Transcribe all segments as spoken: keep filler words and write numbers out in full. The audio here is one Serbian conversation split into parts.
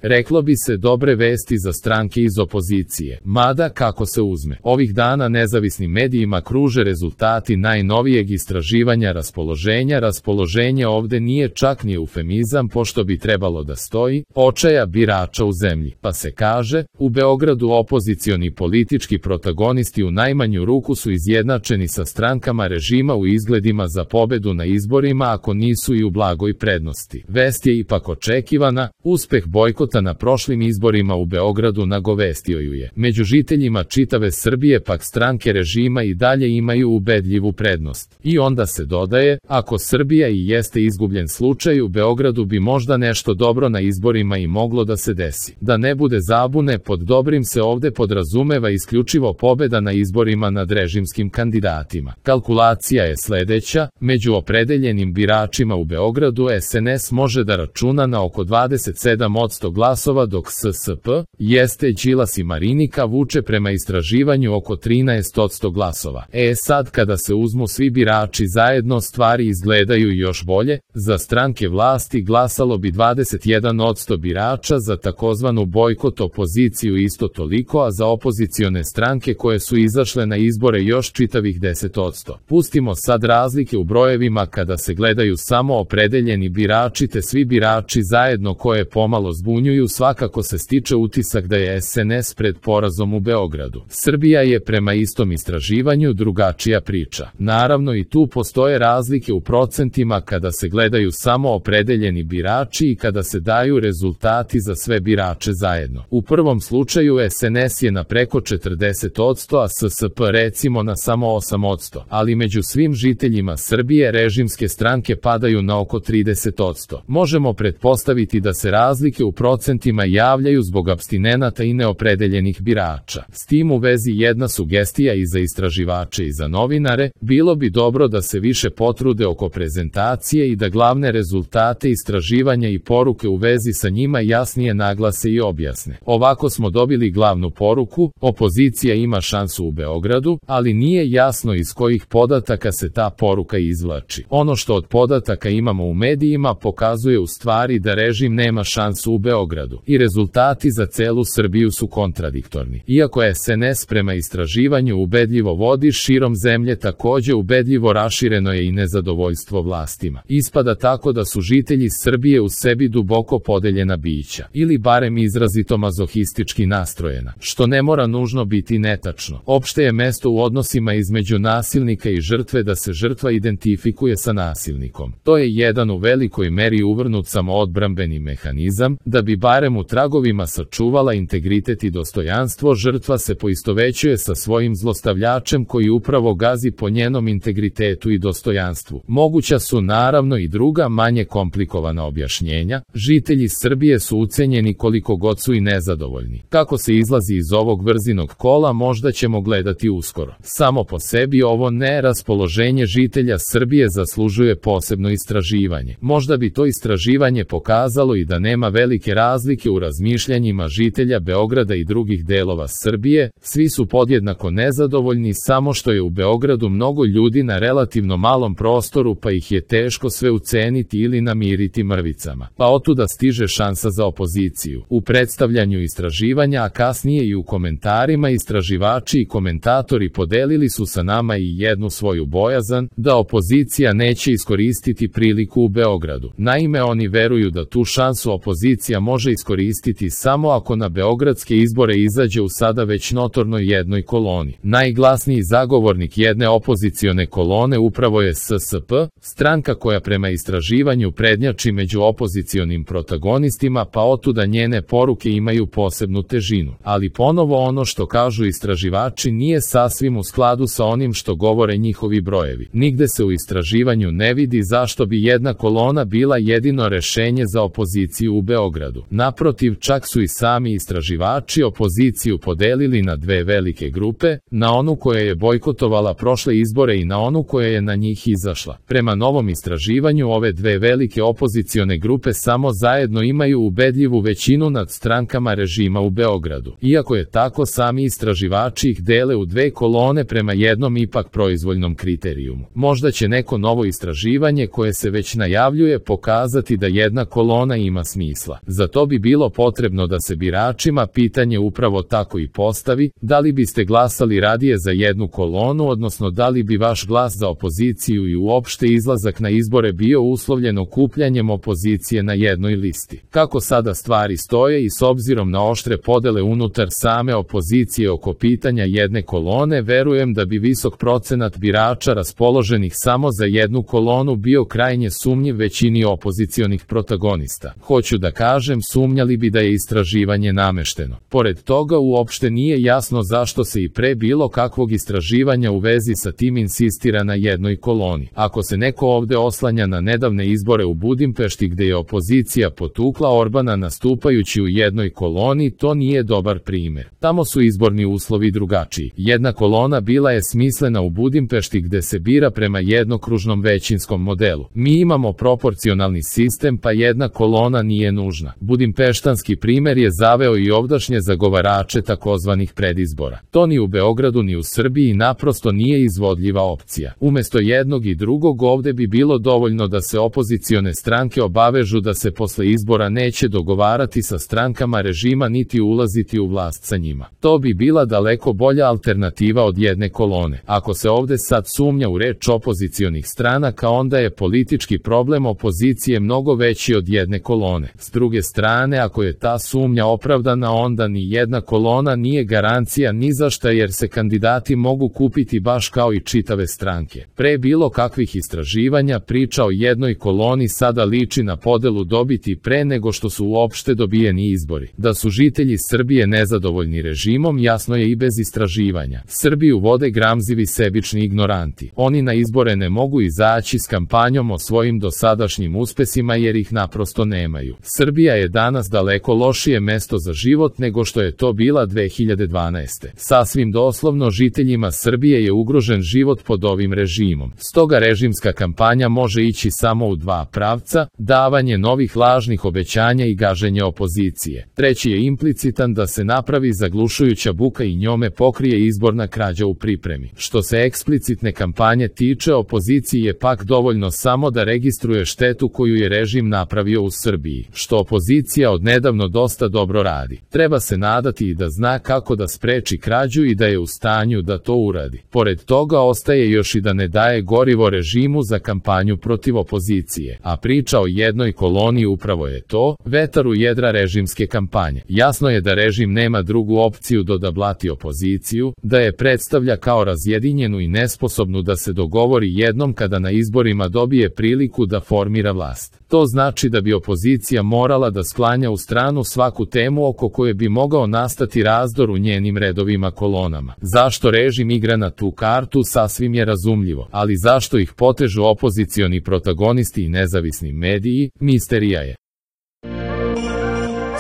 Reklo bi se dobre vesti za stranke iz opozicije, mada kako se uzme. Ovih dana nezavisnim medijima kruže rezultati najnovijeg istraživanja raspoloženja. Raspoloženje ovde nije čak ni eufemizam, pošto bi trebalo da stoji očaja birača u zemlji, pa se kaže, u Beogradu opozicioni politički protagonisti u najmanju ruku su izjednačeni sa strankama režima u izgledima za pobedu na izborima, ako nisu i u blagoj prednosti. Vest je ipak očekivana, uspeh bojkota na prošlim izborima u Beogradu nagovestio ju je. Među žiteljima čitave Srbije pak stranke režima i dalje imaju ubedljivu prednost. I onda se dodaje, ako Srbija i jeste izgubljen slučaj, u Beogradu bi možda nešto dobro na izborima i moglo da se desi. Da ne bude zabune, pod dobrim se ovde podrazumeva isključivo pobeda na izborima nad režimskim kandidatima. Kalkulacija je sledeća, među opredeljenim biračima u Beogradu S N S može da računa na oko dvadeset sedam posto glasova, dok S S P, jeste Đilas i Marinika, vuče prema istraživanju oko trinaest posto glasova. E sad kada se uzmu svi birači zajedno, stvari izgledaju još bolje. Za stranke vlasti glasalo bi dvadeset jedan posto birača, za takozvanu bojkot opoziciju isto toliko, a za opozicione stranke koje su izašle na izbore još čitavih deset posto. Pustimo sad razlike u brojevima kada se gledaju samo opredeljeni birači te svi birači zajedno, koje pomalo zbunjuju. Svakako se stiče utisak da je S N S pred porazom u Beogradu. Srbija je prema istom istraživanju drugačija priča. Naravno i tu postoje razlike u procentima kada se gledaju samo opredeljeni birači i kada se daju rezultati za sve birače zajedno. U prvom slučaju S N S je na preko četrdeset posto, a S S P recimo na samo osam posto, ali među svim žiteljima Srbije režimske stranke padaju na oko trideset posto. Možemo pretpostaviti da se razlike u procentima javljaju zbog apstinenata i neopredeljenih birača. S tim u vezi jedna sugestija i za istraživače i za novinare, bilo bi dobro da se više potrude oko prezentacije i da glavne rezultate istraživanja i poruke u vezi sa njima jasnije naglase i objasne. Ovako smo dobili glavnu poruku, opozicija ima šansu u Beogradu, ali nije jasno iz kojih podataka se ta poruka izvlači. Ono što od podataka imamo u medijima pokazuje u stvari da režim nema šansu u Beogradu i rezultati za celu Srbiju su kontradiktorni. Iako S N S prema istraživanju ubedljivo vodi širom zemlje, takođe ubedljivo rašireno je i nezadovoljstvo vlastima. Ispada tako da su žitelji Srbije u sebi duboko podeljena bića, ili barem izrazito mazohistički nastrojena, što ne mora nužno biti netačno. Opšte je mesto u odnosima između nasilnika i žrtve da se žrtva identifikuje sa nasilnikom. To je jedan u velikoj meri uvrnut samoodbrambeni mehanizam, da bi barem u tragovima sačuvala integritet i dostojanstvo. Žrtva se poistovećuje sa svojim zlostavljačem koji upravo gazi po njenom integritetu i dostojanstvu. Moguća su naravno i druga manje komplikovana objašnjenja. Žitelji Srbije su ucenjeni koliko god su i nezadovoljni. Kako se izlazi iz ovog vrzinog kola možda ćemo gledati uskoro. Samo po sebi ovo neraspoloženje žitelja Srbije zaslužuje posebno istraživanje. Možda bi to istraživanje pokazalo i da nema velike razlike u razmišljanjima žitelja Beograda i drugih delova Srbije, svi su podjednako nezadovoljni, samo što je u Beogradu mnogo ljudi na relativno malom prostoru, pa ih je teško sve uceniti ili namiriti mrvicama. Pa otuda stiže šansa za opoziciju. U predstavljanju istraživanja, a kasnije i u komentarima, istraživači i komentatori podelili su sa nama i jednu svoju bojazan, da opozicija neće iskoristiti priliku u Beogradu. Naime, oni veruju da tu šansu opozicija može iskoristiti samo ako na beogradske izbore izađe u sada već notornoj jednoj koloni. Najglasniji zagovornik jedne opozicione kolone upravo je S S P, stranka koja prema istraživanju prednjači među opozicionim protagonistima, pa otuda njene poruke imaju posebnu težinu. Ali ponovo ono što kažu istraživači nije sasvim u skladu sa onim što govore njihovi brojevi. Nigde se u istraživanju ne vidi zašto bi jedna kolona bila jedino rešenje za opoziciju u Beogradu. Naprotiv, čak su i sami istraživači opoziciju podelili na dve velike grupe, na onu koja je bojkotovala prošle izbore i na onu koja je na njih izašla. Prema novom istraživanju ove dve velike opozicione grupe samo zajedno imaju ubedljivu većinu nad strankama režima u Beogradu. Iako je tako, sami istraživači ih dele u dve kolone prema jednom ipak proizvoljnom kriterijumu. Možda će neko novo istraživanje koje se već najavljuje pokazati da jedna kolona ima smisla. Za Za to bi bilo potrebno da se biračima pitanje upravo tako i postavi, da li biste glasali radije za jednu kolonu, odnosno da li bi vaš glas za opoziciju i uopšte izlazak na izbore bio uslovljen okupljanjem opozicije na jednoj listi. Kako sada stvari stoje i s obzirom na oštre podele unutar same opozicije oko pitanja jedne kolone, verujem da bi visok procenat birača raspoloženih samo za jednu kolonu bio krajnje sumnjiv većini opozicionih protagonista. Hoću da kažem, sumnjali bi da je istraživanje namešteno. Pored toga, uopšte nije jasno zašto se i pre bilo kakvog istraživanja u vezi sa tim insistira na jednoj koloni. Ako se neko ovde oslanja na nedavne izbore u Budimpešti gde je opozicija potukla Orbana nastupajući u jednoj koloni, to nije dobar primer. Tamo su izborni uslovi drugačiji. Jedna kolona bila je smislena u Budimpešti gde se bira prema jednokružnom većinskom modelu. Mi imamo proporcionalni sistem, pa jedna kolona nije nužna. Budimpeštanski primer je zaveo i ovdašnje zagovarače takozvanih predizbora. To ni u Beogradu ni u Srbiji naprosto nije izvodljiva opcija. Umesto jednog i drugog ovde bi bilo dovoljno da se opozicione stranke obavežu da se posle izbora neće dogovarati sa strankama režima niti ulaziti u vlast sa njima. To bi bila daleko bolja alternativa od jedne kolone. Ako se ovde sad sumnja u reč opozicionih stranaka, onda je politički problem opozicije mnogo veći od jedne kolone. S druge strane, ako je ta sumnja opravdana, onda ni jedna kolona nije garancija ni za šta, jer se kandidati mogu kupiti baš kao i čitave stranke. Pre bilo kakvih istraživanja, priča o jednoj koloni sada liči na podelu dobiti pre nego što su uopšte dobijeni izbori. Da su žitelji Srbije nezadovoljni režimom, jasno je i bez istraživanja. Srbiju vode gramzivi sebični ignoranti. Oni na izbore ne mogu izaći s kampanjom o svojim dosadašnjim uspesima jer ih naprosto nemaju. Srbija je danas daleko lošije mesto za život nego što je to bila dve hiljade dvanaeste. Sasvim doslovno, žiteljima Srbije je ugrožen život pod ovim režimom. Stoga režimska kampanja može ići samo u dva pravca: davanje novih lažnih obećanja i gaženje opozicije. Treći je implicitan, da se napravi zaglušujuća buka i njome pokrije izborna krađa u pripremi. Što se eksplicitne kampanje tiče, opoziciji je pak dovoljno samo da registruje štetu koju je režim napravio u Srbiji, što opozicija odnedavno dosta dobro radi. Treba se nadati i da zna kako da spreči krađu i da je u stanju da to uradi. Pored toga, ostaje još i da ne daje gorivo režimu za kampanju protiv opozicije. A priča o jednoj koloni upravo je to, vetar u jedra režimske kampanje. Jasno je da režim nema drugu opciju do da blati opoziciju, da je predstavlja kao razjedinjenu i nesposobnu da se dogovori jednom kada na izborima dobije priliku da formira vlast. To znači da bi opozicija morala da sklanja u stranu svaku temu oko koje bi mogao nastati razdor u njenim redovima kolonama. Zašto režim igra na tu kartu, sasvim je razumljivo, ali zašto ih potežu opozicioni protagonisti i nezavisni mediji, misterija je.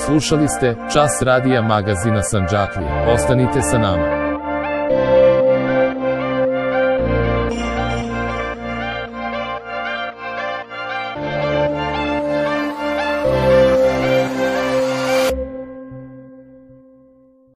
Slušali ste Čas radija magazina Sandžaklije. Ostanite sa nama.